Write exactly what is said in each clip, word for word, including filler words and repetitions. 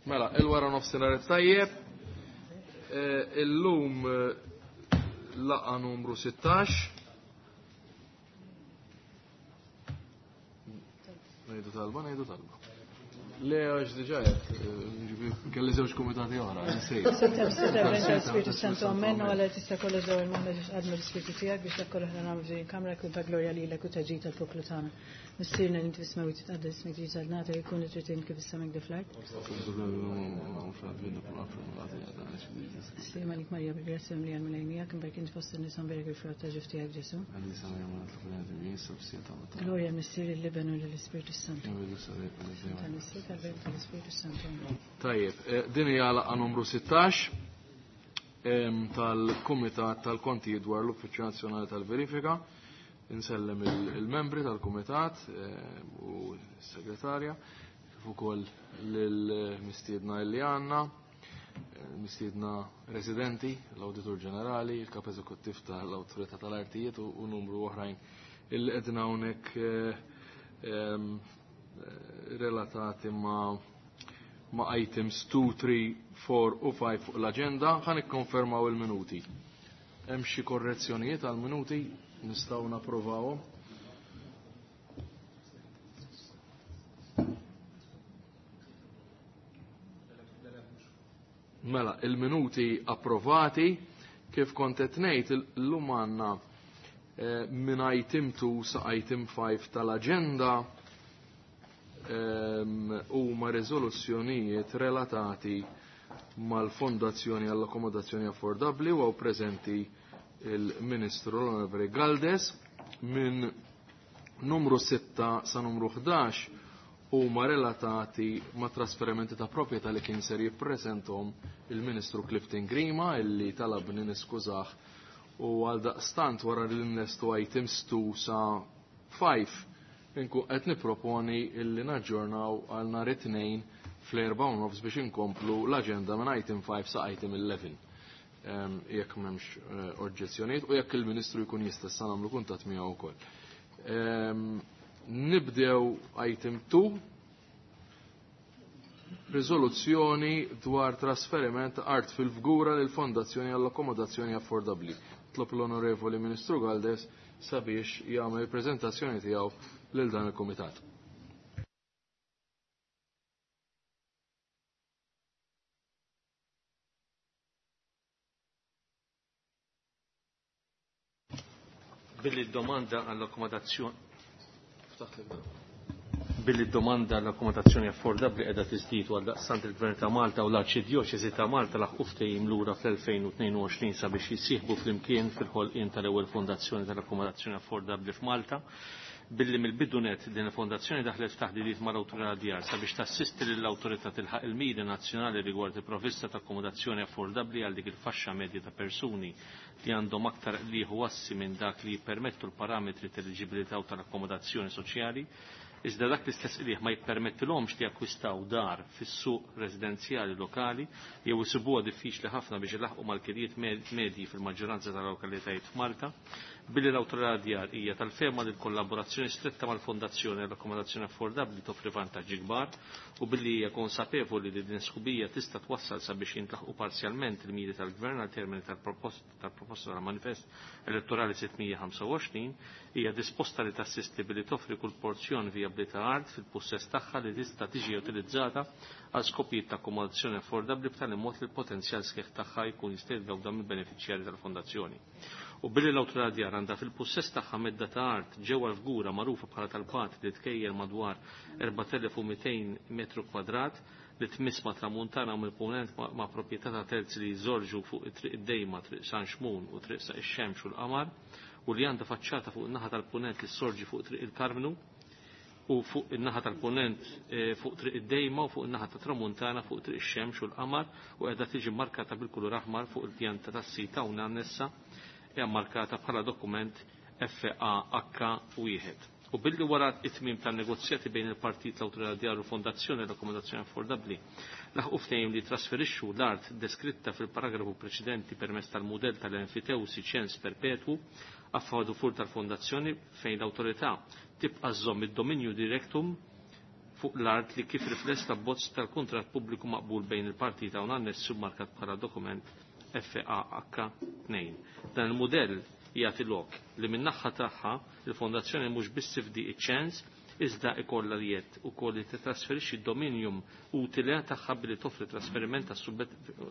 Mela, il-wara nofsinhar tajjeb. Eh, illum eh, laqa numru sittax. Ngħidu talba, ngħidu talba. Le, għax diġà qed, kelli żewġ kumitati oħra, nsejt. Spiritu Santu, amen, u għala tista' kollox daw il-moħħna ġiex għadmu l-Ispiritu tiegħek biex dak kollu ħna nagħmlu f'din il-kamra jkun ta' glorja lilek u ta' ġid tal-poplu tagħna. Missierna li inti fis-smewwiet titqaddes ismek jiġi saltnatek ikun li trid int kif is-sema hekk fl-art. Sliem għalik Marija bil-grazzja mlija l-Mulej miegħek, imbark int fost in-nisa mberek il-frott ta' ġuf tiegħek Ġesu. Glorja l-Missier il-Liben u lill-Ispiritu Santu. Tal-Missier tal-Bent tal-Ispiritu Santu. Tajjeb, din hija laqgħa numru sittax tal-Kumitat tal-Kontijiet dwar l-Uffiċċju Nazzjonali tal-Verifika. Insellem il-membri tal-Kumitat u s-Segretarja, kif ukoll lill-mistiedna li għandna, mistiedna residenti, l-Awditur Ġenerali, il-Kap Eżekuttiv tal-Awtorità tal-Artijiet u numru oħrajn illi qegħdin hawnhekk relatati ma' ma' items two, three, four u five fuq l-aġenda. Ħa nikkonfermaw il-minuti. Hemm xi korrezzjonijiet għall-minuti nistgħu napprovawhom? Mela, il-minuti approvati, kif kont qed ngħid illum għandna minn item two sa item five tal-aġenda huma riżoluzzjonijiet relatati mal-Fondazzjoni għall-Akkomodazzjoni Affordabbli u hawn preżenti il-Ministru l-Onorevoli Galdes. Minn numru sitta sa numru ħdax huma relatati ma' trasferimenti ta' proprjetà li kien ser jippreżentom il-Ministru Clifton Grima illi talabni niskużah u għal daqstant wara li nlestu items two sa five inkun qed nipproponi illi naġġornaw għal nhar it-tnejn fl-erba' u nofs biex inkomplu l-aġenda minn item five sa item eleven. Jekk m'hemmx oġġezzjonijiet u jekk il-Ministru jkun jista' issa nagħmlu kuntatt miegħu wkoll. Nibdew item two, riżoluzzjoni dwar trasferiment ta' art fil-Fgura lil Fondazzjoni għall-Akkomodazzjoni Affordabbli. Tlob l-Onorevoli Ministru Galdes sabiex jagħmel il-preżentazzjoni tiegħu lil dan il-Kumitat. Billi d-domanda għall-akkomodazzjoni billi d-domanda għall-akkomodazzjoni affordabbli qiegħda tiżdied għal daqstant il-Gvern ta' Malta u l-Arċidjoċesi ta' Malta laħqu ftehim lura fl-elfejn u tnejn u għoxrin sabiex jissieħbu flimkien fil-ħolqien tal-ewwel fondazzjoni tal-akkomodazzjoni affordabbli f'Malta. Billi mill-bidu net din il-fondazzjoni daħlet f'taħdidiet mal-Awtorità Djar sabiex tassisti lill-awtorità tilħaq il-miri nazzjonali rigward il-provvista ta' akkomodazzjoni affordabbli għal dik il-faxxa medja ta' persuni li għandhom aktar qligħ u assi minn dak li jippermettu l-parametri tal-eliġibilità u tal-akkomodazzjoni soċjali, iżda dak l-istess qligħ ma jippermettilhomx li jakkwistaw dar fis-suq residenzjali lokali jew isibuha diffiċli ħafna biex ilaħqu mal-kirjiet medji fil-maġġoranza tal-lokalitajiet f'Malta. Billi l-Awtorità Djar hija tal-fehma li l-kollaborazzjoni stretta mal-Fondazzjoni għall-Akkomodazzjoni Affordabbli toffri vantaġġi kbar u billi hija konsapevoli li din sħubija tista' twassal sabiex jintlaħqu parzjalment il-miri tal-Gvern għal termini tal-proposta tal-Manifest Elettorali sittmija ħamsa u għoxrin, hija disposta li tassisti billi toffri kull porzjon vijabbli ta' art fil-pussess tagħha li tista' tiġi utilizzata għal skopijiet ta' akkomodazzjoni affordabbli b'tali mod li l-potenzjal sħiħ tagħha jkun jista' jitgawda mill-benefiċjarji tal-fondazzjoni. U billi l-Awtorità Djar għandha fil-pussess tagħha medda ta' art ġewwa l-Fgura magħrufa bħala tal-Pat li tkejjel madwar erbat elef u mitejn metru kwadrat li tmiss ma' tramuntana u mill-punent ma' proprjetà ta' terzi li jżorġu fuq it-triq id-Dejma, triq San Xmun u triq Saq ix-Xemx u l-Qamar, u li għandha faċċata fuq in-naħa tal-punent li ssorġi fuq triq il-Karmnu u fuq in-naħa tal-punent fuq triq id-Dejma u fuq in-naħa ta' tramuntana fuq triq ix-Xemx u l-Qamar u qiegħda tiġi markata bil-kulur aħmar fuq il-pjanta tas-sita u annessa hija markata bħala dokument F A H wieħed. U billi wara it-tmiem tan-negozjati bejn il-Partit l-Awtorità Djar u Fondazzjoni l-Akkomodazzjoni Affordabbli laħqu ftehim li trasferixxu l-art deskritta fil-paragrafu preċedenti permezz tal-mudell tal-enfitewsi ċens perpetwu affadu fur tal-fondazzjoni fejn l-awtorità tibqa' żżomm id-dominju directum fuq l-art li kif rifless l-abbozz tal-kuntratt pubbliku maqbul bejn il-partita u annessu markat bħala dokument F A H tnejn. Dan il-mudell jagħti lok li min-naħa tagħha il-fondazzjoni mhux biss tifdi iċ-ċens iżda ikollha li jett ukoll li titrasferixxi d-dominium utile tagħha billi toffri trasferiment ta'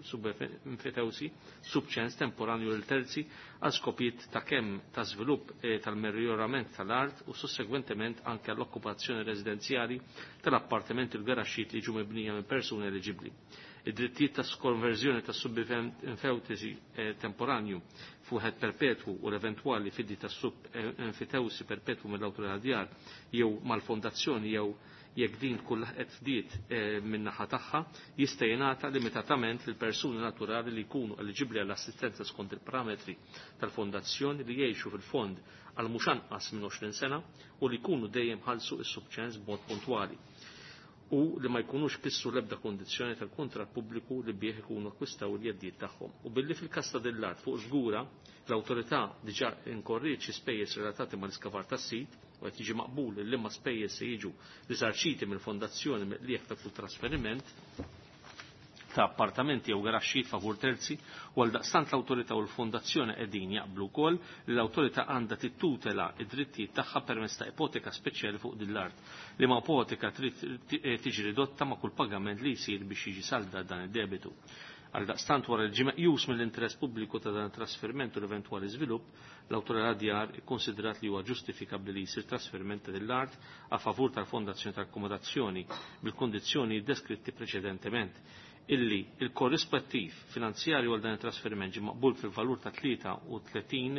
subenfetewsi subċens temporanju lil terzi għal skopijiet ta' kemm ta' żvilupp tal-merjorament tal-art u sussegwentement anke għall-okkupazzjoni residenzjali tal-appartamenti u l-garaxxijiet li jiġu mibnija minn persuni eliġibbli. Id-drittijiet ta' konverżjoni ta' subenfewtesi temporanju fuħed perpetwu u l-eventwali fiddi ta' subenfitewsi perpetwu mill-awtorità djar jew mal-fondazzjoni jew jekk din tkun laħqet fdiet min-naħa tagħha jista' jingħata limitatament lil persuni naturali li jkunu eliġibbli għall-assistenza skont il-parametri tal-fondazzjoni li jgħixu fil-fond għal mhux anqas minn għoxrin sena u li jkunu dejjem ħallsu s-subċens b'mod puntwali u li ma jkunux kissu l-ebda kondizzjoni tal-kuntratt pubbliku li bih ikunu akkwistaw il-jeddijiet tagħhom. U billi fil-każ ta' din l-art fuq żgura l-awtorità diġà inkorriet xi spejjeż relatati mal-iskavar tas-sit u qed jiġi maqbul li liema spejjeż se jiġu riżarċiti mill-fondazzjoni mill-qligħ ta' kull trasferiment ta' appartamenti jew garaxxijiet favur terzi u għal daqstant l-awtorità u l-fondazzjoni qegħdin jaqblu wkoll li l-awtorità għandha tittutela id-drittijiet tagħha permezz ta' ipoteka speċjali fuq din l-art li ma' ipoteka trid tiġi ridotta ma' kull pagament li jsir biex jiġi salda dan id-debitu. Għal daqstant wara li ġie meqjus mill-interess pubbliku ta' dan it-trasferiment u l-eventwali żvilupp, l-awtorità djar ikkonsidrat li huwa ġustifikabbli li jsir trasferiment ta' din l-art a favur tal-fondazzjoni tal-akkomodazzjoni bil-kondizzjoni deskritti preċedentement illi il-korrispettiv finanzjarju għal dan it-trasferiment ġie maqbul fil-valur ta' tlieta u tletin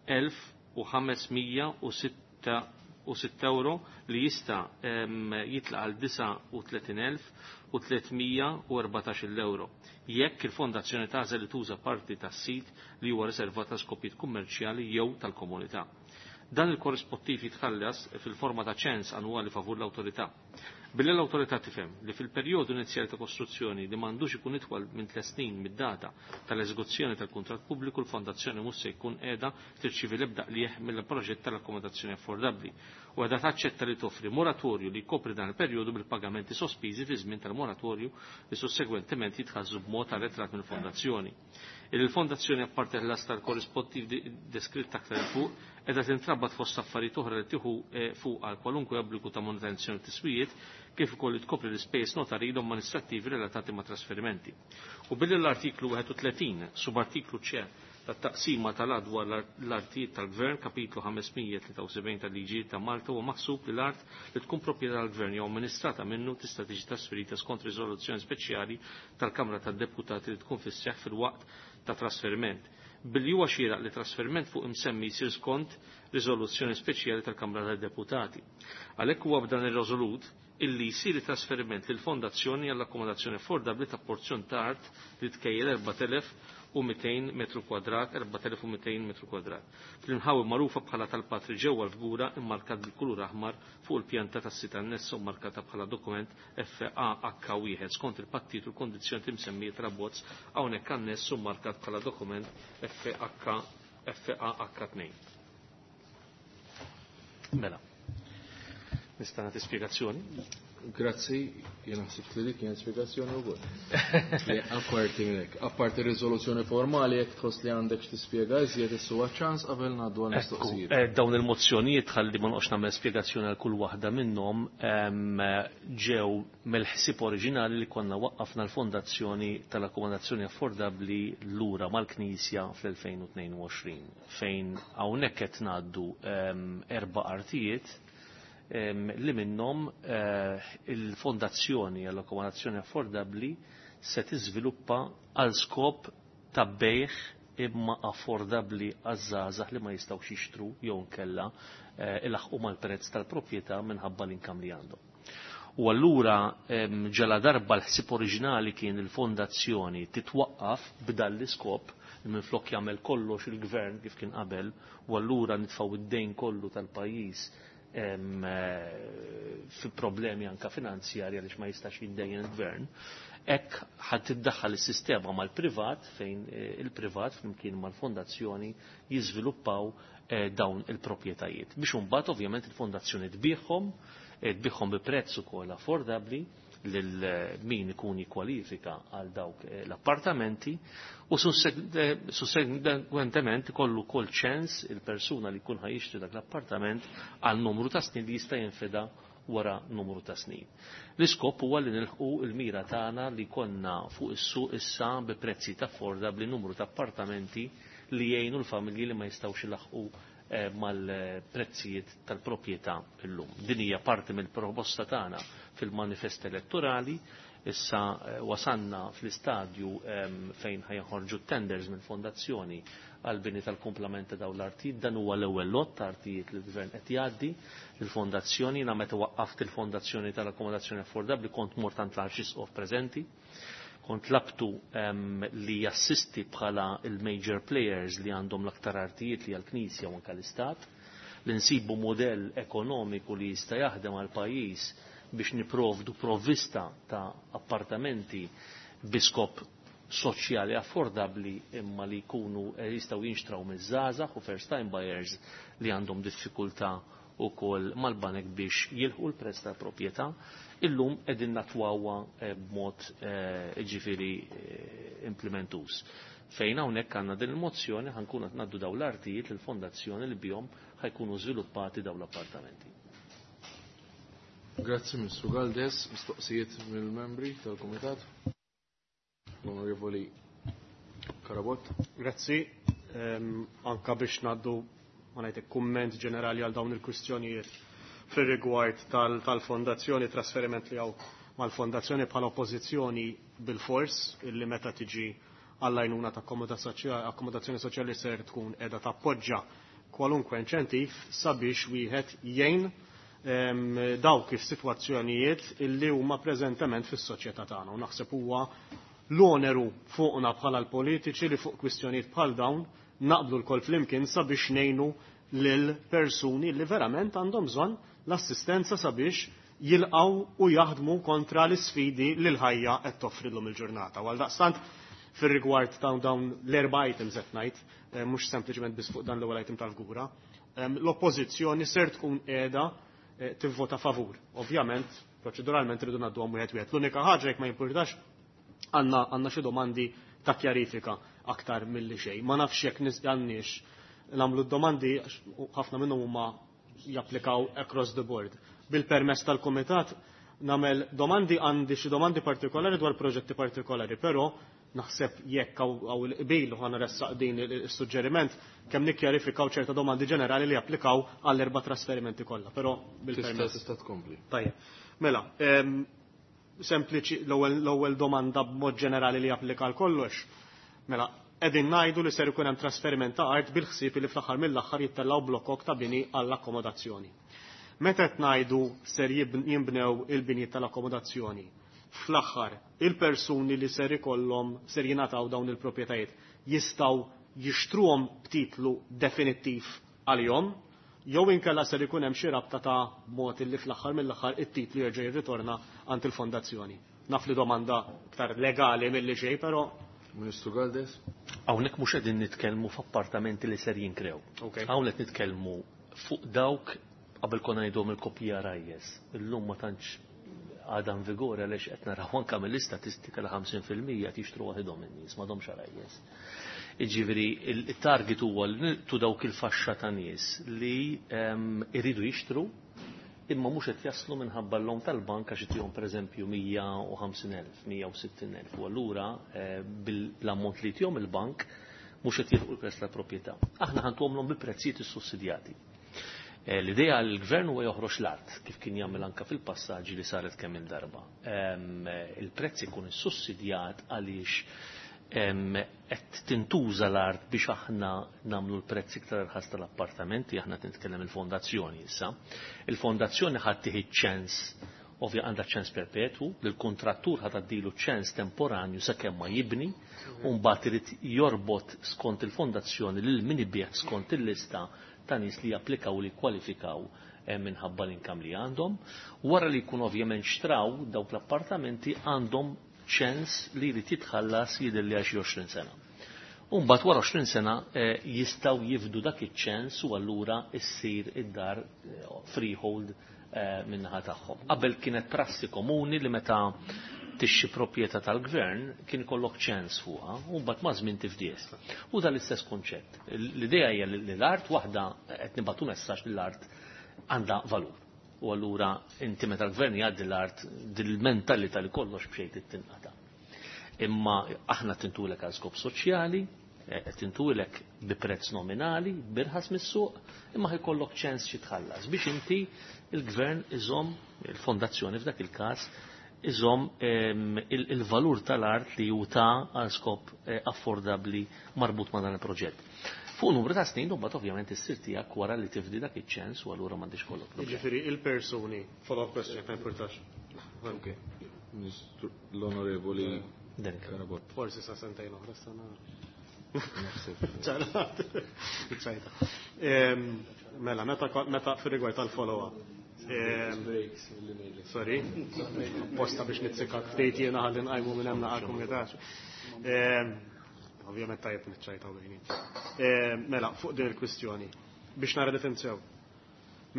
elf u ħamesmija u sitta u sitt euro li jista' jitlaq għal disa' u tletin elf u tlietmija u erbatax-il euro jekk il-fondazzjoni tagħżel li tuża parti tas-sit li huwa riservat għal skopijiet kummerċjali jew tal-komunità. Dan il-korrispettiv jitħallas fil-forma ta' ċens annwali favur l-awtorità. Billi l-awtorità tifhem li fil-perjodu inizjali ta' kostruzzjoni li m'għandux ikun itwal minn tliet snin mid-data tal-eżekuzzjoni tal-kuntratt pubbliku l-fondazzjoni mhux se jkun qiegħda tirċievi l-ebda qligħ mill-proġett tal-akkomodazzjoni affordabbli u qiegħda taċċetta li toffri moratorju li jkopri dan il-perjodu bil-pagamenti sospiżi fi żmien tal-moratorju li sussegwentement jitħallsu b'mod arretrat mill-fondazzjoni. Il-fondazzjoni apparti ħlas tal-korrispettiv deskritt aktar il fuq qiegħda tintrabat fost affarijiet oħra li tieħu fuq għal kwalunkwe obbligu ta' manutenzjoni tiswijiet kif ukoll tkopri l-ispejjeż notarili u amministrattivi relatati ma' trasferimenti. U billi l-artiklu wieħed u tletin subartiklu C tat-taqsima tal-att dwar l-artijiet tal-Gvern kapitlu ħamesmija tlieta u sebgħin tal-liġijiet ta' Malta huwa maħsub li l-art li tkun proprjetà tal-Gvern jew amministrata minnu tista' tiġi trasferita skont riżoluzzjoni speċjali tal-Kamra tad-Deputati li tkun fis-seħħ fil-waqt ta' trasferiment. Billi huwa xieraq li trasferiment fuq imsemmi jsir skont riżoluzzjoni speċjali tal-Kamra tad-Deputati. Għalhekk huwa b'dan ir-riżolut illi jsir trasferiment lil fondazzjoni għall-akkomodazzjoni affordabbli ta' porzjon ta' art li tkejjel erbat elef u mitejn metru kwadrat, erbat elef u mitejn metru kwadrat. Fl-inħawi magħrufa bħala tal-Patri ġewwa l-Fgura immarkat bil-kulur aħmar fuq il-pjanta tas-sit annessa u markata bħala dokument F A H wieħed skont il-pattit u l-kondizzjoni imsemmija tal-abbozz hawnhekk anness u markat bħala dokument F H F A H tnejn. Mela. Nista' nagħti spjegazzjoni? Grazzi, jien ħsibt li dik kienet spjegazzjoni wkoll. Li apparti minn hekk, apparti riżoluzzjoni formali jekk tħoss li għandek x'tispjega iżjed issu ċans qabel ngħaddu għal mistoqsijiet. Ekku, eh, dawn il-mozzjonijiet ħalli ma noqgħodx nagħmel spjegazzjoni għal kull waħda minnhom, ehm, ġew mill-ħsieb oriġinali li konna waqqafna l-fondazzjoni tal-akkomodazzjoni affordabbli lura mal-Knisja fl-elfejn u tnejn u għoxrin, fejn hawnhekk qed ngħaddu, ehm, erba' artijiet em, li minnhom, eh, il-fondazzjoni għall-akkomodazzjoni affordabbli se tiżviluppa għal skop ta' bejħ imma affordabbli għaż-żgħażagħ li ma jistgħux jixtru jew nkella, eh, ilaħqu mal-prezz tal-proprjetà minħabba l-inkam li għandhom. U allura, em, ġala darba l-ħsieb oriġinali kien il-fondazzjoni titwaqqaf b'dan l-iskop li minflok jagħmel kollox il-gvern kif kien qabel, u allura nitfgħu id-dejn kollu tal-pajjiż em, eh, fi problemi anka finanzjarji għaliex ma jistax jiddejjen il-gvern. Hekk ħadd tiddaħħal is-sistema mal-privat fejn, eh, il-privat flimkien mal-fondazzjoni jiżviluppaw, eh, dawn il-proprjetajiet. Biex imbagħad ovvjament il-fondazzjoni tbieħhom Tbigħhom bi prezz ukoll affordabbli lil min ikun jikkwalifika għal dawk l-appartamenti u sussegwentement ikollu wkoll ċens il-persuna li jkun ħajixtri dak l-appartament għal numru ta' snin li jista' jinfeda wara numru ta' snin. L-iskop huwa li nilħqu l-mira tagħna li konna fuq is-suq issa bi prezzijiet affordabbli numru ta' appartamenti li jgħinu l-familji li ma jistgħux ilaħqu mal-prezzijiet tal-proprjetà illum. Din hija parti mill-proposta tagħna fil-manifest elettorali. Issa wasanna fl-istadju fejn ħajħorġu tenders mill-fondazzjoni għal-bini tal-komplement ta' dawn l-artijiet. Dan huwa l-ewwel lot ta' artijiet li l-gvern qed jgħaddi l-fondazzjoni. Jiena meta waqqaft il-fondazzjoni tal-akkomodazzjoni affordabbli kont mort għand l-Arċisqof preżenti, kont labtu li jassisti bħala il-major players li għandhom l-aktar artijiet li għal-Knisja u anke l-Istat, li nsibu modell ekonomiku li jista' jaħdem għal pajjiż biex niprovdu provvista ta' appartamenti bi skop soċjali affordabbli imma li jkunu jistgħu jinxtraw miż-żgħażagħ u first time buyers li għandhom diffikultà wkoll mal-banek biex jilħqu l-prezz tal-proprjetà. Illum qegħdin natwawha b'mod ġifieri implementus. Fejn hawnhekk għandna din il-mozzjoni ħankun qed ngħaddu dawn l-artijiet lill-fondazzjoni li bihom ħajkunu żviluppati dawn l-appartamenti. Grazzi Ministru Galdes, mistoqsijiet mill-membri tal-Kumitat. L-Onorevoli Karabot. Grazzi, anka biex ngħaddu ma ngħidlek kumment ġenerali għal dawn il-kwistjonijiet fir-rigward tal-fondazzjoni, trasferiment li hawn mal-fondazzjoni bħala oppożizzjoni bil-fors illi meta tiġi għall-għajnuna ta' akkomodazzjoni soċjali ser tkun qiegħda tappoġġa kwalunkwe inċentiv sabiex wieħed jgħin dawk is-sitwazzjonijiet illi huma preżentement fis-soċjetà tagħna. U naħseb huwa l-oneru fuqna bħala l-politiċi li fuq kwistjonijiet bħal dawn naqblu l-kol flimkien sabiex ngħinu lil persuni li verament għandhom bżonn l-assistenza sabiex jilqaw u jaħdmu kontra l-isfidi li l-ħajja qed toffrilhom il-ġurnata. Għal daqstant fir-rigward ta' dawn l-erba' items qed ngħid, mhux sempliċement biss fuq dan l-ewwel item tal-fgura, l-oppożizzjoni ser tkun qiegħda tivvota favur. Ovvjament, proċeduralment rridu ngħadduhom wieħed wieħed. L-unika ħaġa jekk ma jimpurtax għandna għandna xi domandi ta' kjarifika aktar milli xejn. Ma nafx jekk għandniex nagħmlu d-domandi, ħafna minnhom huma japplikaw across the board. Bil-permess tal-Kumitat nagħmel domandi, għandi xi domandi partikolari dwar proġetti partikolari, però naħseb jekk hawn il-qbil u ħa din is-suġġeriment kemm nikkjarifikaw ċerta domandi ġenerali li japplikaw għall-erba' trasferimenti kollha, però bil-permess. Tista' tkompli. Tajjeb. Mela, sempliċi l-ewwel domanda b'mod ġenerali li japplika għal kollox. Mela, qegħdin ngħidu li ser ikun hemm trasferiment ta' art bil-ħsieb li fl-aħħar mill-aħħar jittellgħu blokok ta' bini għall-akkomodazzjoni. Meta qed ngħidu ser jinbnew il-binjiet tal-akkomodazzjoni, fl-aħħar il-persuni li ser ikollhom ser jingħataw dawn il-proprjetajiet jistgħu jixtruhom b'titlu definittiv għalihom, jew inkella ser ikun hemm xi rabta ta' mod li fl-aħħar mill-aħħar it-titlu jerġa' jirritorna għand il-fondazzjoni. Naf li domanda iktar legali milli xejn, però Ministru Galdes? Hawnhekk mhux qegħdin nitkellmu f'appartamenti li ser jinkrew. Hawnhekk nitkellmu fuq dawk qabel konna ngħidhom il-kopja rajjes. Illum ma tantx għadha vigore għaliex qed naraw anke mill-istatistika li ħamsin fil-mija qed jixtru waħedhom in-nies, m'għadhomx rajjes. Jiġifieri il-target huwa li nilqtu dawk il-faxxa ta' nies li iridu jixtru imma mhux qed jaslu minħabba l-lom tal-bank għax itihom pereżempju mija u ħamsin elf, mija u sittin elf, u allura bil-ammont li jtihom il-bank mhux qed jilħqu l-prezz tal-proprjetà. Aħna ħantuhomlhom bi prezzijiet issussidjati. L-idea li l-gvern huwa joħroġ l-art kif kien jagħmel anke fil-passaġġi li saret kemm il-darba. Il-prezz ikun issussidjat għaliex qed tintuża l-art biex aħna nagħmlu l-prezz iktar irħas tal-appartamenti, aħna qed nitkellem il-fondazzjoni issa. Il-fondazzjoni ħadd tieħi ċens, ovvja għandha ċens perpetwu, li l-kontrattur ħadd tgħaddilu ċens temporanju sakemm ma jibni, u mbagħad irid jorbot skont il-fondazzjoni lil min ibih skont il-lista ta' nies li japplikaw li kwalifikaw minħabba l-inkam li għandhom. Wara li jkun ovvjament xtraw dawk l-appartamenti għandhom ċens li jrid jitħallas jidher li għal xi għoxrin sena. U mbagħad wara għoxrin sena jistgħu jifdu dak iċ-ċens u allura issir id-dar freehold min-naħa tagħhom. Qabel kienet prassi komuni li meta tixxi proprjetà tal-gvern kien ikollok ċens fuqha u mbagħad ma' żmien tifdies. U dan l-istess konċett. L-idea hija li l-art waħda qed nibgħatu messaġġ li l-art għandha valur. U allura inti meta l-gvern jgħaddi l-art dil-mentalità li kollox b'xejn tinqata'. Imma aħna tintulek għal skop soċjali, qed tintulek bi prezz nominali, birħas mis-suq, imma ħajkollok ċens xi tħallas biex inti il-gvern iżomm il-fondazzjoni f'dak il-każ iżomm il-valur tal-art li hu ta' għal skop affordabbli marbut ma' dan il-proġett. Fuq numru ta' snin, mbagħad ovvjament issir tiegħek wara li tifdi dak iċ-ċens u allura m'għandix kollok problemi. Jiġifieri il-persuni, follow-up question jekk ma jimpurtax. Ok. L-Onorevoli Carabott. Forsi sa sentejn oħra sena. Naħseb. Mela, meta meta fir-rigward tal-follow-up. Sorry, posta biex nitzikak ftit jiena ħalli nqajmu minn hemm naqra kumitax. Ovvjament tajjeb niċċajtaw bejni. Mela, fuq din il-kwistjoni, biex nara difenzew.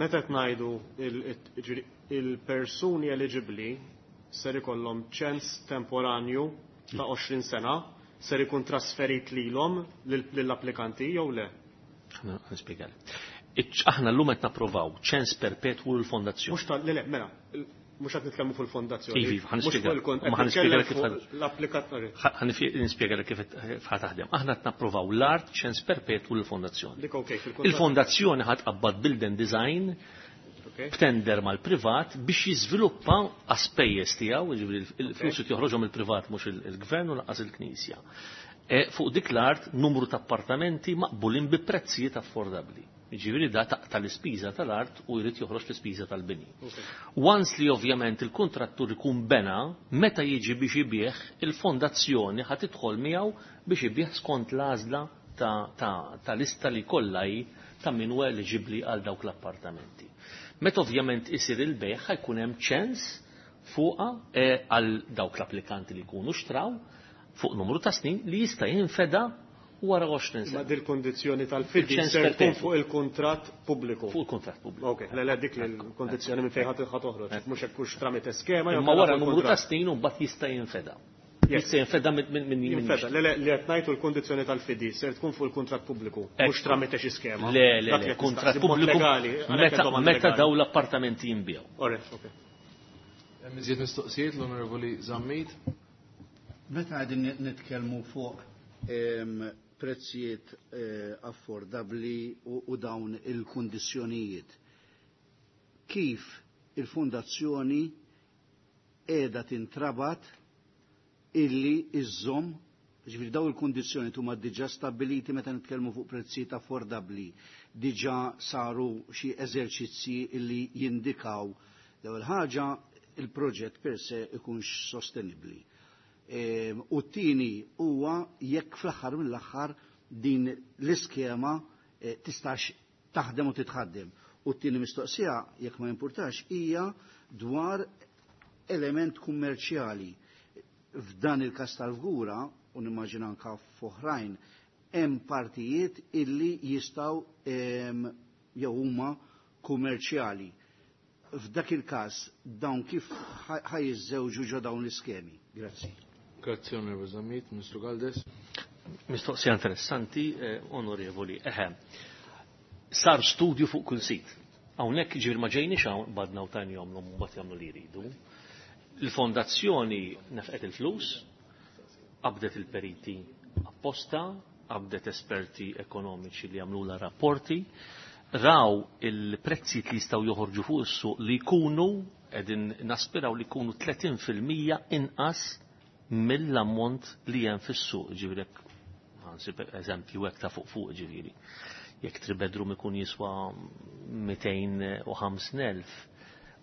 Meta qed ngħidu il-persuni eligibbli ser ikollhom ċens temporanju ta' għoxrin sena ser ikun trasferit lilhom lill-applikanti jew le? Nispjegali. Aħna llum qed napprovaw ċens perpetwu l-fondazzjoni. Mhux tal le le, mela, mhux qed nitkellmu fuq il-fondazzjoni. Ivi, ħa nispjega. Ma ħa nispjega kif nispjega kif ħa taħdem. Aħna qed napprovaw l-art ċens perpetwu l-fondazzjoni. Il-fondazzjoni ħa tqabbad build and design b'tender mal-privat biex jiżviluppa għaspejjeż tiegħu, jiġifieri il-flus joħroġhom il-privat mhux il-gvern u lanqas il-Knisja. Fuq dik l-art numru ta' appartamenti maqbulin bi prezzijiet affordabbli. Jiġifieri da taqta' l-ispiża tal-art u jrid joħroġ l-ispiża tal-bini. Once li ovvjament il-kontrattur ikun bena, meta jiġi biex ibih, il-fondazzjoni ħa tidħol miegħu biex ibih skont l-għażla ta' lista li kollha hi ta' min huwa eliġibbli għal dawk l-appartamenti. Meta ovvjament isir il-bejħ ħajkun hemm ċens fuqha għal dawk l-applikanti li jkunu xtraw fuq numru ta' snin li jista' jinfeda wara għoxrin sena. Ma dil-kondizzjoni tal-fidi ser tkun fuq il-kuntratt pubbliku. Fuq il-kuntratt pubbliku. Ok, le le dik il-kondizzjoni minn fejn ħadd toħroġ, mhux hekk hux tramite skema. Imma wara numru ta' snin u mbagħad jista' jinfeda. Jista' jinfeda minn minn jinfeda. Le le li qed ngħidu l-kondizzjoni tal-fidi ser tkun fuq il-kuntratt pubbliku, mhux tramite xi skema. Le le le, kuntratt pubbliku meta daw l-appartamenti jinbiegħu. Alright, ok. Hemm iżjed mistoqsijiet l-Onorevoli Zammit. Meta qegħdin nitkellmu fuq prezzijiet affordabbli u dawn il-kundizzjonijiet, kif il-fondazzjoni qiegħda tintrabat illi iżżomm, ġifieri dawn il-kundizzjoni huma diġà stabbiliti meta nitkellmu fuq prezzijiet affordabbli, diġà saru xi eżerċizzji illi jindikaw l-ewwel ħaġa il-proġett per se ikunx sostenibbli. U t-tieni huwa jekk fl-aħħar mill-aħħar din l-iskema tistax taħdem u titħaddem. U t-tieni mistoqsija, jekk ma jimpurtax, hija dwar element kummerċjali. F'dan il-każ tal-Fgura, u nimmaġina anke f'oħrajn, hemm partijiet illi jistgħu jew huma kummerċjali. F'dak il-każ dawn kif ħajjiżżewġu ġo dawn l-iskemi? Grazzi. Grazie, Onorevoli Zammit. Ministru Galdes. Mistoqsija interessanti, onorevoli. Eħe, sar studju fuq kull sit. Hawnhekk ġifieri ma ġejniex hawn badna u tajn jagħmlu mbagħad jagħmlu li jridu. Il-fondazzjoni nefqet il-flus, qabdet il-periti apposta, qabdet esperti ekonomiċi li jagħmlula rapporti, raw il-prezzijiet li jistgħu joħorġu fuq is-suq li jkunu qegħdin naspiraw li jkunu tletin fil-mija inqas mill-ammont li hemm fis-suq, ġifieri ħansib eżempju hekk ta' fuq fuq ġifieri. Jekk three bedroom ikun jiswa mitejn u ħamsin elf,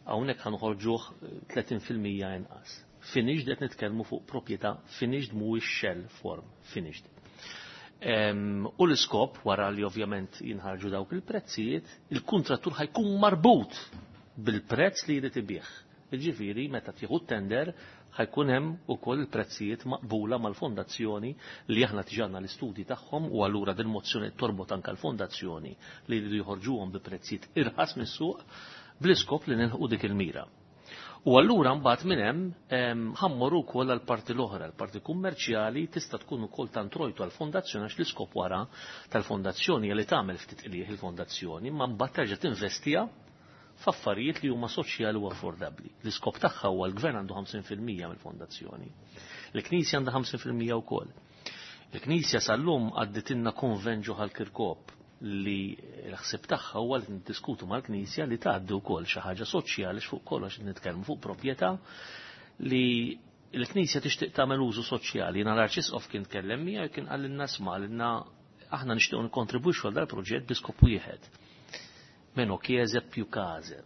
hawnhekk ħanħorġuh tletin fil-mija inqas. Finished qed nitkellmu fuq proprjetà finished mhuwiex shell form, finished. U l-iskop wara li ovvjament jinħarġu dawk il-prezzijiet, il-kuntrattur ħajkun marbut bil-prezz li jrid ibih. Jiġifieri meta tieħu tender ħajkun hemm ukoll il-prezzijiet maqbula mal-fondazzjoni li aħna tiġanna l-istudji tagħhom u allura din mozzjoni torbot anke l-fondazzjoni li jridu joħorġuhom bi prezzijiet irħas mis-suq Bl-iskop li nilħqu dik il-mira. U allura mbagħad minn hemm ħammorru wkoll għall-parti l-oħra, l-parti kummerċjali tista' tkun ukoll tantrojtu għall-fondazzjoni għax l-iskop wara tal-fondazzjoni li tagħmel ftit qlieħ il-fondazzjoni, ma mbagħad terġa' tinvestiha f'affarijiet li huma soċjali u affordabbli. L-iskop tagħha huwa l-gvern għandu ħamsin fil-mija mill-fondazzjoni. Il-Knisja għandha ħamsin fil-mija wkoll. Il-Knisja sal-lum għadditilna konvenġu ħal-Kirkop li l-ħsieb tagħha huwa li niddiskutu mal-Knisja li tgħaddi wkoll xi ħaġa soċjali fuq kollox nitkellmu fuq proprjetà li l-Knisja tixtieq tagħmel użu soċjali. Jiena l-Arċisqof kien tkellem miegħu kien qalilna sma' lilna aħna nixtiequ nikkontribwixxu għal dal-proġett bi skop wieħed. Meno chiese più case.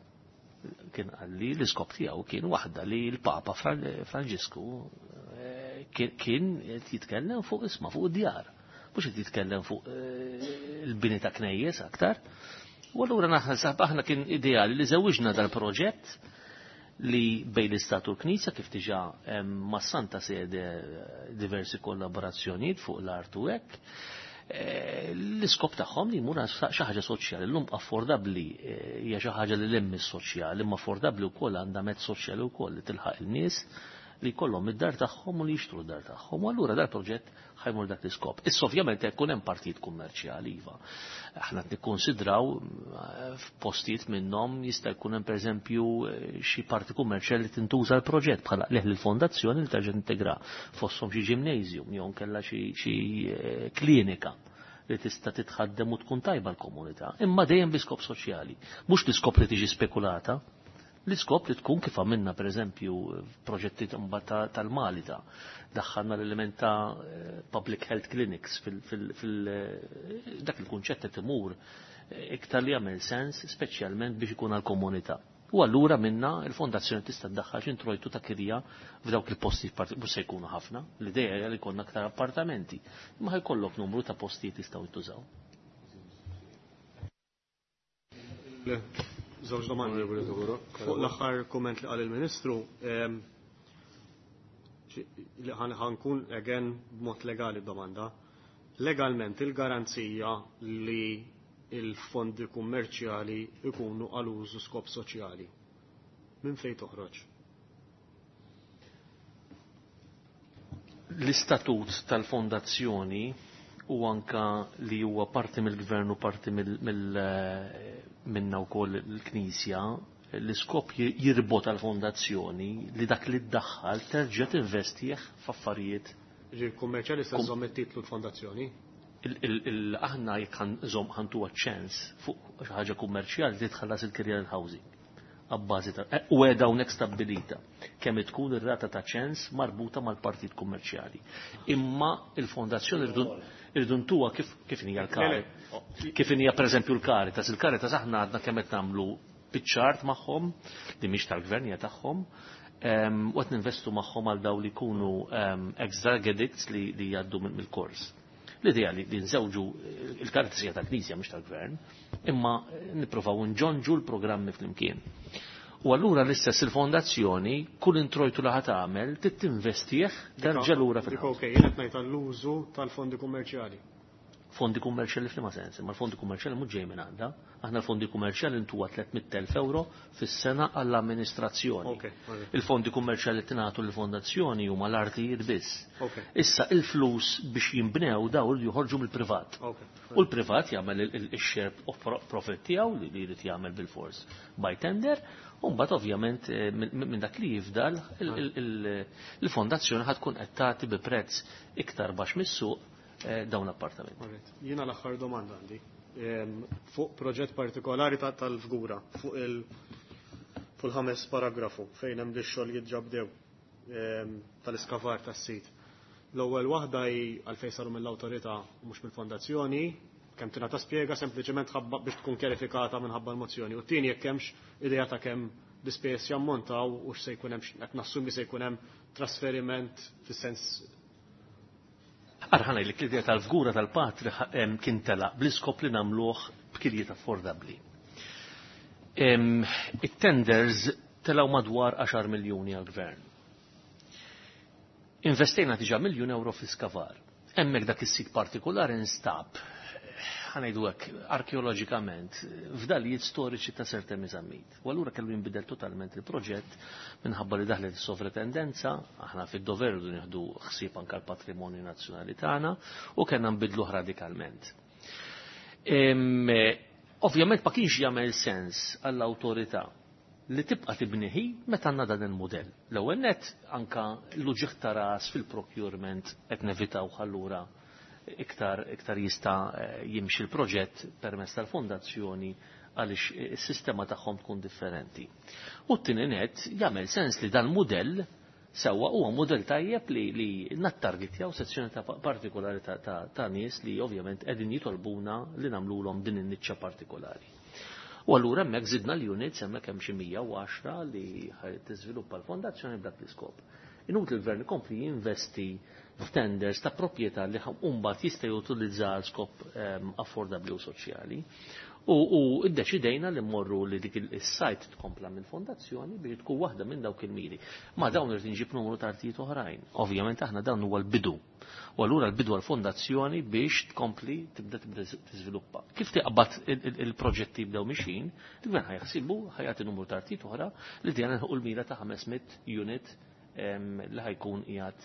Kien qalli l-iskop tiegħu kien waħda li l-Papa Franġisku kien jitkellem fuq isma' fuq id-djar. Mhux qed jitkellem fuq il-bini ta' knejjes aktar. U allura naħseb aħna kien ideali li żewwiġna dal-proġett li bejn l-Istat u l-Knisja kif diġà ma' Santa Sede diversi kollaborazzjonijiet fuq l-art u hekk. L-iskop tagħhom li jmur xi ħaġa soċjali, llum affordabbli hija xi ħaġa li lemmi s-soċjali, imma affordabbli wkoll għandha mezz soċjali wkoll li tilħaq il-nies li jkollhom id-dar tagħhom u li jixtru d-dar tagħhom. U allura dal-proġett ħajmur dak l-iskop. Issa ovvjament jekk hemm partit kummerċjali iva. Aħna qed nikkonsidraw f'postijiet minnhom jista' jkun hemm pereżempju xi parti kummerċjali li tintuża l-proġett bħala leħ lill-fondazzjoni li terġa' tintegra fosthom xi gymnasium jew kellha xi klinika li tista' titħaddem u tkun tajba l-komunità. Imma dejjem bi skop soċjali, mhux l-iskop li tiġi spekulata. L-iskop li tkun kif għamilna per eżempju proġetti tal-Malita, daħħalna l-element ta' public health clinics fil dak il-kunċett qed imur iktar li jagħmel sens speċjalment biex ikun għall-komunità. U allura minna il-fondazzjoni tista' ddaħħal x'introjtu ta' kirja f'dawk il-postijiet mhux se jkunu ħafna, l-idea hija li jkollna aktar appartamenti, imma ħajkollok numru ta' postijiet jistgħu jintużaw. Żewġ domandi. Fuq l-aħħar kumment li qal il-Ministru, li ħankun again b'mod legali domanda. Legalment il-garanzija li il-fondi kummerċjali ikunu għal użu skop soċjali. Minn fejn toħroġ? L-istatut tal-fondazzjoni u anka li huwa parti mill-gvern u parti mill minna wkoll il-Knisja, l-iskop jirbot għal-fondazzjoni li dak li ddaħħal terġa' tinvestih f'affarijiet. Ġi kummerċjali se żomm it-titlu l-fondazzjoni? Aħna jekk ħantuha ċens fuq xi ħaġa kummerċjali li tħallas il-kirja l-housing. Abbażi ta' u qiegħda hawnhekk stabbilita kemm tkun ir-rata ta' ċens marbuta mal-partit kummerċjali. Imma il-fondazzjoni irridu ntuha kif kif hija l-kari. Kif hija pereżempju l-Caritas, il-Caritas aħna għadna kemm qed nagħmlu biċ-ċart magħhom li mhix tal-gvern hija tagħhom, u qed ninvestu magħhom għal dawn li jkunu ex-drug addicts li jgħaddu mill-kors. L-idea li nżewġu il-Caritas hija tal-Knisja mhix tal-Gvern, imma nippruvaw nġonġu l-programmi flimkien. U allura l-istess il-fondazzjoni kull introjtu li ħadd tagħmel trid tinvestih terġa' lura fil. Dik okej, jien qed ngħid għall-użu tal-fondi kummerċjali. Fondi kummerċjali f'liema sens, imma l-fondi kummerċjali mhux ġej minn għandha. Aħna l-fondi kummerċjali ntuha tliet mitt elf euro fis-sena għall-amministrazzjoni. Il-fondi kummerċjali tingħatu lill-fondazzjoni huma l-artijiet biss. Issa il-flus biex jinbnew daw li joħorġu mill-privat. U l-privat jagħmel il-share of profit tiegħu li jrid jagħmel bil-fors by tender, u mbagħad ovvjament minn dak li jifdal il-fondazzjoni ħad tkun qed tagħti bi prezz iktar baxx mis-suq dawn l-appartamenti. Jiena l-aħħar domanda għandi. Fuq proġett partikolari tal-Fgura, fuq il-ħames paragrafu fejn hemm ix-xogħol jitġabdew tal-iskavar tas-sit. L-ewwel waħda hi għalfejn saru mill-awtorità u mhux mill-fondazzjoni, kemm tingħata spjega sempliċement biex tkun kjarifikata minħabba l-mozzjoni. U t-tieni jekk hemmx idea ta' kemm l-ispejjeż jammontaw u x'se jkun hemm qed nassumi se jkun hemm trasferiment fis-sens. Arħana li l-idea tal-Fgura tal-Patri kien telaq bl-iskop li nagħmluh b'kirjiet affordabbli. It-tenders telgħu madwar għaxar miljuni għall-gvern. Investejna diġà miljun euro fl-iskavar. Hemmhekk dak is-sit partikolari instab ħa ngħidu hekk, arkeoloġikament, fdalijiet storiċi ta' Sir Temi Zammit. U allura kellu jinbidel totalment il-proġett minħabba li daħlet is-sovratendenza, aħna fid-dover rridu nieħdu ħsieb anke l-patrimonju nazzjonali tagħna u kellna nbidluh radikalment. Ovvjament ma kienx jagħmel sens għall-awtorità li tibqa' tibniħi meta għandna dan il-mudell. L-ewwel nett anka l-uġigħ ta' ras fil-procurement qed nevitaw allura iktar iktar jista' jimxi l-proġett permezz tal-fondazzjoni għaliex is-sistema tagħhom tkun differenti. U t-tieni nett jagħmel sens li dan mudell sewwa huwa mudell tajjeb li li nattargetjaw sezzjoni ta' partikolari ta', ta, ta' nies li ovvjament qegħdin jitolbuna li nagħmluhom din in-niċċa partikolari. U allura hemmhekk żidna l-units, hemmhekk hemm xi mija u għaxra li tiżviluppa l-fondazzjoni b'dak l-iskop. Inutli l-gvern ikompli jinvesti f'tenders ta' proprjetà li mbagħad jista' jutilizza għal skop affordabbli u soċjali. U, u iddeċidejna li mmorru li dik is-sajt tkompla mill-fondazzjoni biex tkun waħda minn dawk il-miri. Ma dawn irid inġib numru ta' artijiet oħrajn. Ovvjament aħna dan huwa l-bidu. U allura l-bidu għall-fondazzjoni biex tkompli tibda tibda tiżviluppa. Kif tiqbad il-proġetti jibdew mixin, il-gvern ħajħsibu ħajati numru ta' artijiet oħra li dejna nħuq l-mira ta' ħames mitt unit li ħajkun qiegħed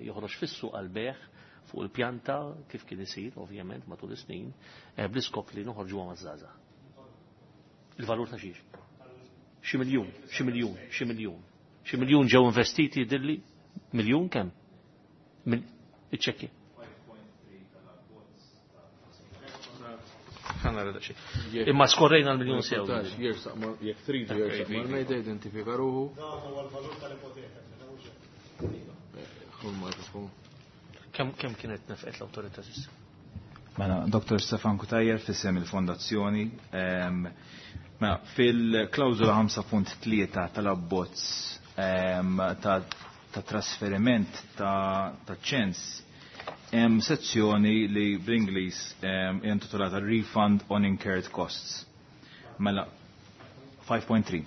joħroġ fis-suq għall-beħ fuq il-pjanta kif kien isir ovvjament matul is-snin bl-iskop li noħorġuha maż-żgħażagħ. Il-valur ta' xiex? Xi miljun, xi miljun, xi miljun. Xi miljun ġew investiti jidhirli miljun kemm? Iċċekkja. Imma skorrejna l-miljun sew. Jekk tridu jersaq mal-mejda identifika ruħu. Kemm kemm kienet nefqet l-awtorità s'issa? Mela, Doktor Stefan Cutajar fissem il-fondazzjoni. Mela, fil-klawżola ħamsa punt tlieta tal-abbozz ta' trasferiment ta' ċens hemm sezzjoni li bl-Ingliż intitolata Refund on Incurred Costs. Mela, five point three.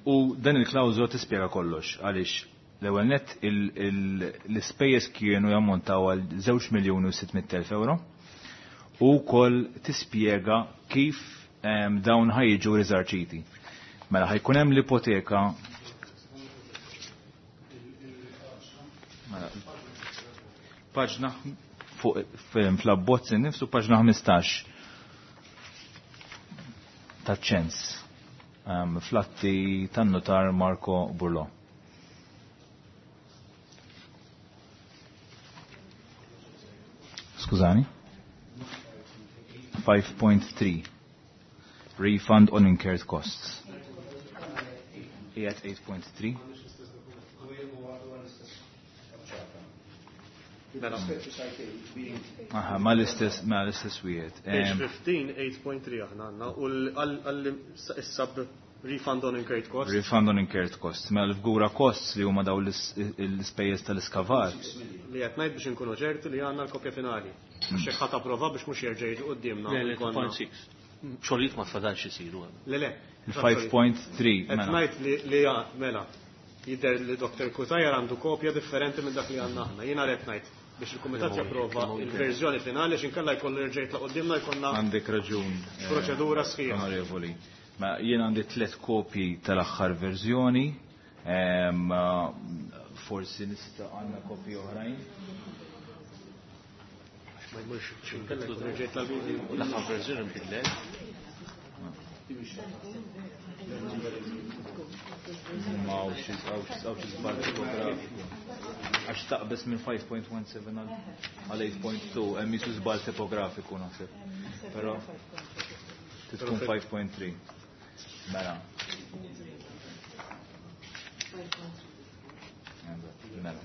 U dan il-klawżola tispjega kollox għaliex l-ewwel nett l-ispejjeż kienu jammontaw għal żewġ miljuni u sitt mitt elf euro u wkoll tispjega kif dawn ħajġu riżarċiti. Mela ħajkun hemm l-ipoteka mela, paġna fuq fl-abbozz innifsu paġna ħmistax taċ-ċens flatti tan-notar Marco Burlo. Skużani? five point three Refund on incurred costs. Qiegħed eight point three. Aha, ma l-istess, ma l-istess wieħed. Page fifteen, eight point three aħna għandna u l-sub refund on incurred costs. Refund on incurred costs. Mela l-fgura costs li huma daw l-ispejjeż tal-iskavar. Li qed ngħid biex inkunu ċerti li għandna l-kopja finali. Għax hekk ħadd approva biex mhux jerġa' jiġi quddiemna. Le, le, two point six. Xogħlijiet ma tfadalx isiru. Le, le. Il-five point three, Qed mela. ngħid li, li mela, jidher li Doktor Cutajar għandu kopja differenti minn dak li għandna aħna. Jiena qed ngħid biex il-Kumitat japprova il-verżjoni finali x'inkella jkollu jerġa' jitlaq quddiemna jkollna Għandek raġun, eh, proċedura sħiħa. Onorevoli. Ma jien għandi tliet kopji tal-aħħar verżjoni, ehm, forsi nista' għandna kopji oħrajn. Ma jmurx x'inkella jkollu jerġa' jitlaq quddiem. L-aħħar verżjoni nbidlet. Ma hawnx hawnx żball tipografiku. Għax taqbes minn five point one seven għal eight point two, hemm jisu żball tipografiku naħseb. Però tkun five point three. Mela. Mela.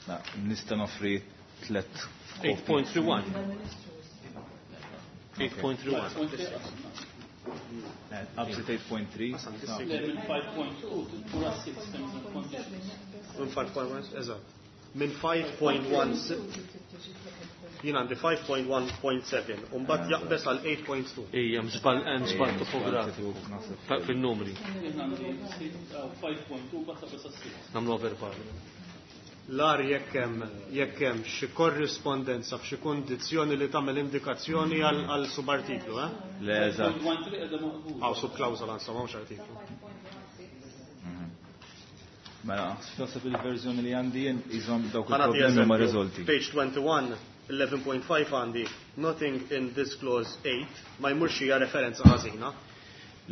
Na, nista' noffri tliet kopji. eight point three one. eight point three one. Up to eight point three. Level five point two to six terms and conditions. Minn five point one, eżatt. Minn five point one six. Jien għandi five point one point seven, u mbagħad jaqbes għal eight point two. Ejja, hemm żball, hemm żball Ejja, topografiku. żball Fa-, fil-numri. Jien għandi six, uh, five point two, mbagħad taqbes għal six. Nagħmlu verbali. L-ar jekk hemm jekk hemm xi korrispondenza f'xi kundizzjoni li tagħmel indikazzjoni għal subartiklu, eh? Le, eżatt. Għaw subklawżola insomma mhux artiklu. Mela, naħseb il-verżjoni li għandi jien iżhom dawk il-problemi ma riżolti. Page twenty-one, eleven point five għandi, nothing in this clause eight, ma jmurx hija referenza ħażina.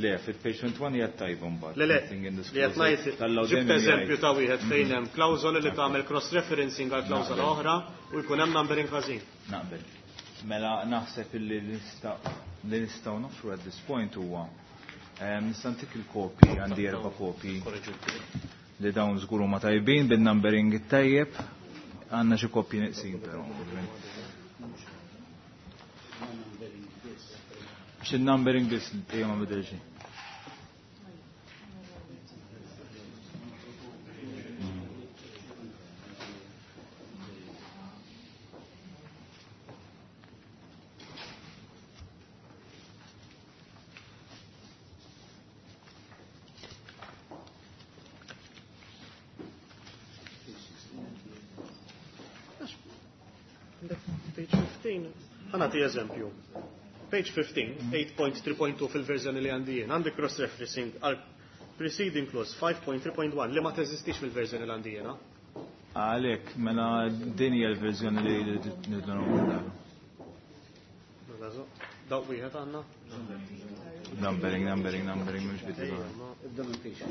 Le, fil-page twenty-one hija tajba mbagħad. Le, le, li qed ngħid ġibt eżempju ta' wieħed fejn hemm klawżoli li tagħmel cross-referencing għal klawżola oħra u jkun hemm numbering ħażin. Naqbel. Mela naħseb illi li nistgħu noffru at this point huwa nista' ntik il-kopji, għandi erba' kopji li dawn żgur huma tajbin bin-numbering it-tajjeb, għandna xi kopji neqsin però. Xi numbering biss li ma bidel xejn. Page fifteen. Ħa nagħti eżempju. Page fifteen, eight point three point two fil-verżjoni li għandi jien, għandi cross-referencing għal preceding clause five point three point one li ma teżistix fil-verżjoni li għandi jiena. Għalhekk, mela din hija l-verżjoni li nidlu nagħmlu. Dawk wieħed għandna? Numbering, numbering, numbering, mhux bidlu. Ibda minn page.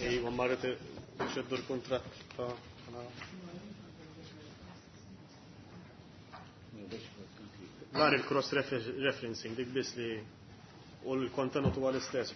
Ejwa, marret ixeddu l-kuntratt ta' Dar il-cross referencing, dik biss li u l-kontenut huwa l-istess.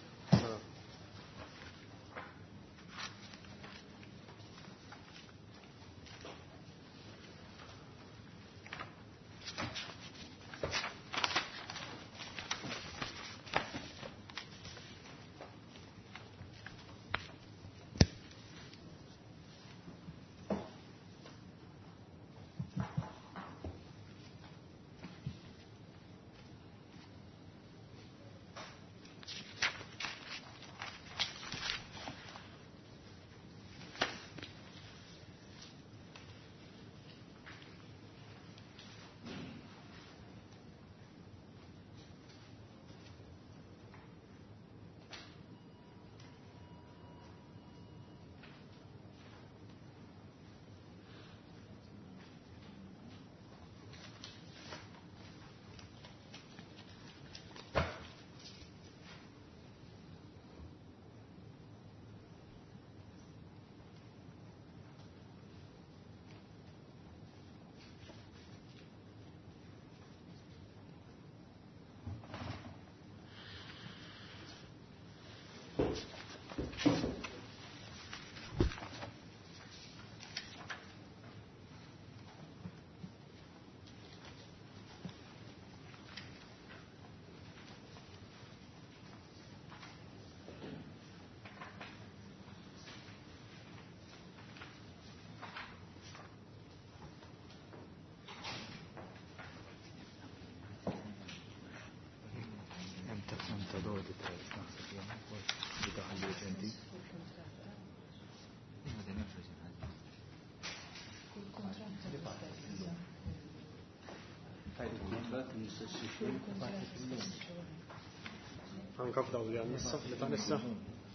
Anka f'daw li għandna issa, li ta' nissa.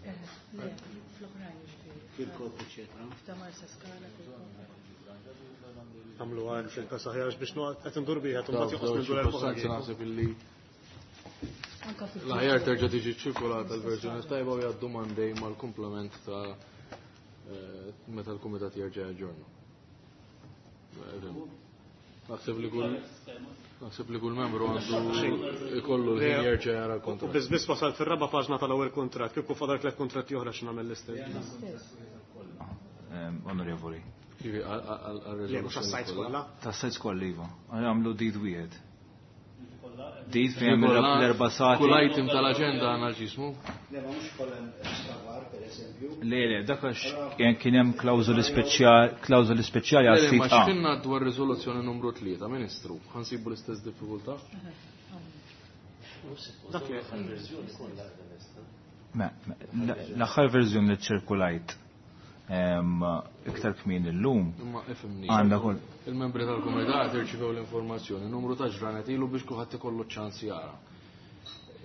Le, fl-oħrajn ġifieri. Fil-kopji, eċetera. F'ta' Marsa Skala fil-kopji. Għamlu għal fil-kas aħjar biex noqgħod qed indur biha u mbagħad joqgħod mindur l naħseb illi l-aħjar terġa' tiġi ċirkolata l-verżjoni tajba u jgħaddu mandej mal-komplement ta' meta l-kumitat jerġa' jaġġornu. Naħseb li kull naħseb li kull membru għandu ikollu l-ħin jerġa' jara l-kontratt. Biss biss wasal fir-raba' paġna tal-ewwel kuntratt, kieku fadal tliet kuntratti oħra x'nagħmel l-istess. Onorevoli. Le, mhux għas-sajts kollha. Tas-sajts kollha iva. Għamlu deed wieħed. Deed fejn l-erba' sati. Kull item tal-aġenda għandna ġismu. Le, ma mhux kollha savar, pereżempju. Le, le, dak għax kien hemm klawżoli speċjali, klawżoli speċjali għal sit. Ma x'kinna dwar riżoluzzjoni numru tlieta, Ministru, ħansibu l-istess diffikultà? Dak li verżjoni kollha L-aħħar verżjoni li ċirkulajt iktar kmin illum. Imma ifhimni. Għandha kull. Il-membri tal-kumitat irċivew l-informazzjoni, numru ta' ġranet ilu biex kulħadd ikollu ċans jara.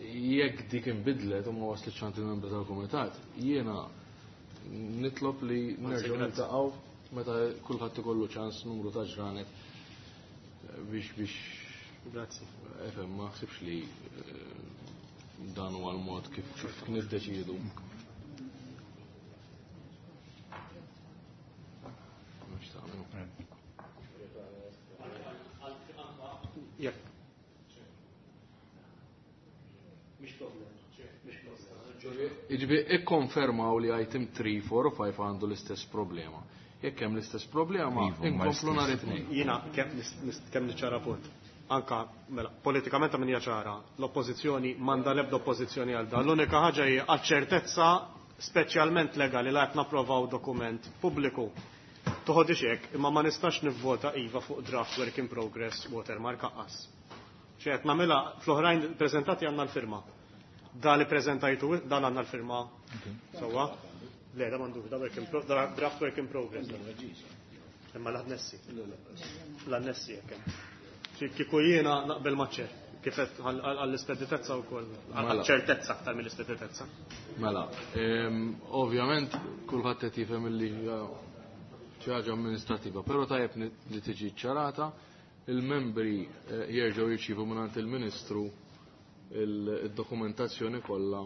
Jekk dik inbidlet u ma waslitx għand il-membri tal-kumitat, jiena nitlob li nerġgħu niltaqgħu meta kulħadd ikollu ċans numru ta' ġranet biex biex. Grazzi. Efhem, ma ħsibx li dan huwa l-mod kif kif niddeċiedu. Jiġifieri ikkonfermaw li item three, four u five għandu l-istess problema. Jekk hemm l-istess problema, inkomplu nhar it-tnejn. Jiena kemm niċċara punt. Anka mela politikament min hija ċara, l-oppożizzjoni m'għandha l-ebda oppożizzjoni għal dan. L-unika ħaġa hi għaċ-ċertezza speċjalment legali li qed napprovaw dokument pubbliku. Toħodix hekk, imma ma nistax nivvota iva fuq draft work in progress watermark aqqas. Xi qed nagħmilha fl-oħrajn preżentati għandna l-firma. Da li preżentajtu dan għandna l-firma. Sewwa? Le, da m'għandux, da work in pro, da draft work in progress. Imma l-annessi. L-annessi jekk hemm. Kieku jiena naqbel maċ-ċer, kif qed għall-ispeditezza wkoll, għall-ċertezza aktar mill-ispeditezza. Mela, ovvjament kulħadd qed jifhem li xi ħaġa amministrativa, però tajjeb li tiġi ċarata, il-membri jerġgħu jirċievu mingħand il-Ministru il-dokumentazzjoni kollha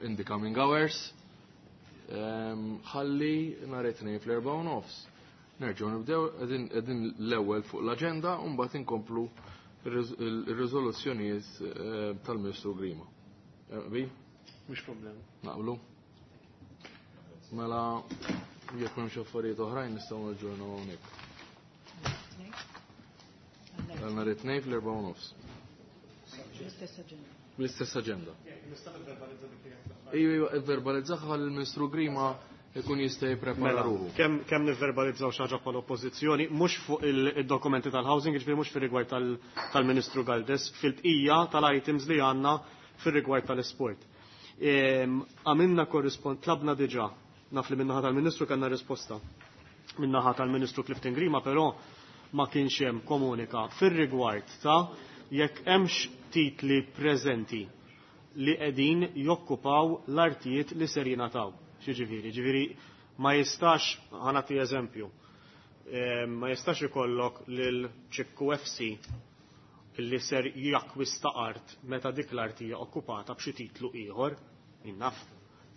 in the coming hours. Ħalli nhar it-tnejn fl-erba' u nofs. Nerġgħu nibdew qegħdin l-ewwel fuq l-aġenda u mbagħad inkomplu ir-riżoluzzjonijiet tal-Ministru Grima. Bi? Mhux problema. Naqblu? Mela jekk m'hemmx affarijiet oħrajn nistgħu naġġornaw hawnhekk. Nhar it-tnejn fl-erba' u nofs. L-istess aġenda. L-istess aġenda. Ejju, ejju, verbalizzaha ħalli l-Ministru Grima ikun jista' jipprepara ruħu. Kemm kemm nivverbalizzaw xi ħaġa bħala oppożizzjoni, mhux fuq id-dokumenti tal-housing, jiġifieri mhux fir-rigward tal-Ministru Galdes, fil-bqija tal-items li għandna fir-rigward tal-isport. Għamilna korrispond, tlabna diġà, naf li min-naħa tal-Ministru kellna risposta. Min-naħa tal-Ministru Clifton Grima però ma kienx hemm komunika fir-rigward ta' jekk hemmx titli preżenti li qegħdin jokkupaw l-artijiet li ser jingħataw. Xiġifieri, ġifieri ma jistax, ħanati eżempju, ma jistax ikollok lil Ċikku F C li ser jakkwista art meta dik l-art hija okkupata b'xi titlu ieħor, innaf,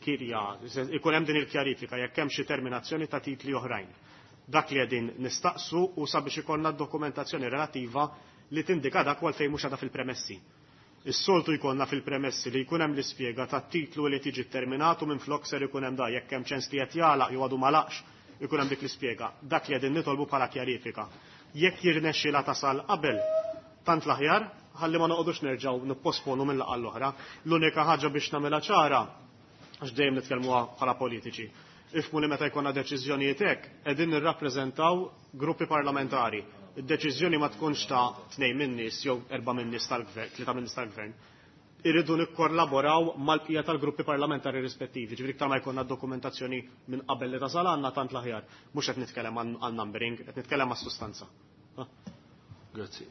kirja, ikun hemm din il-kjarifika jekk hemm xi terminazzjoni ta' titli oħrajn. Dak li qegħdin nistaqsu u sabiex ikollna dokumentazzjoni relattiva li tindika dak għal fejn mhux għadha fil-premessi. Is-soltu jkollna fil-premessi li jkun hemm l-ispjega tat-titlu li tiġi terminatu minn flok ser ikun hemm da jekk hemm ċens li qed jagħlaq jew għadu ma laqx ikun hemm dik l-ispjega. Dak li qegħdin nitolbu bħala kjarifika. Jekk jirnexxilha tasal qabel, tant l-aħjar, ħalli ma noqogħdux nerġgħu nipposponu minn laqgħa l-oħra. L-unika ħaġa biex nagħmilha ċara, għax dejjem nitkellmuha bħala politiċi. Ifmu li meta jkollna deċiżjonijiet hekk, qegħdin nirrappreżentaw gruppi parlamentari. Id-deċiżjoni ma tkunx ta' tnejn min-nies jew erba' min-nies tal-gvern, tlieta min-nies tal-gvern. Irridu nikkollaboraw mal-bqija tal-gruppi parlamentari rispettivi, ġifieri iktar ma jkollna dokumentazzjoni minn qabel li tasal għandna tant l-aħjar. Mhux qed nitkellem għal numbering, qed nitkellem għas-sustanza. Grazzi.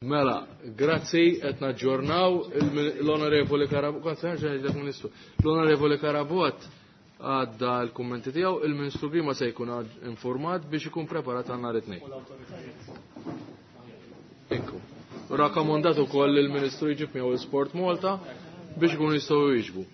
Mela, grazzi, qed naġġornaw l-Onorevoli Carabott, Ministru, l-Onorevoli Carabott għadda l-kummenti tiegħu, il-Ministru Grima se jkun informat biex ikun preparat għal nhar it-tnejn. Ekku. Rakkomandat ukoll il-Ministru jġib miegħu Sport Malta biex ikun jistgħu jieġbu.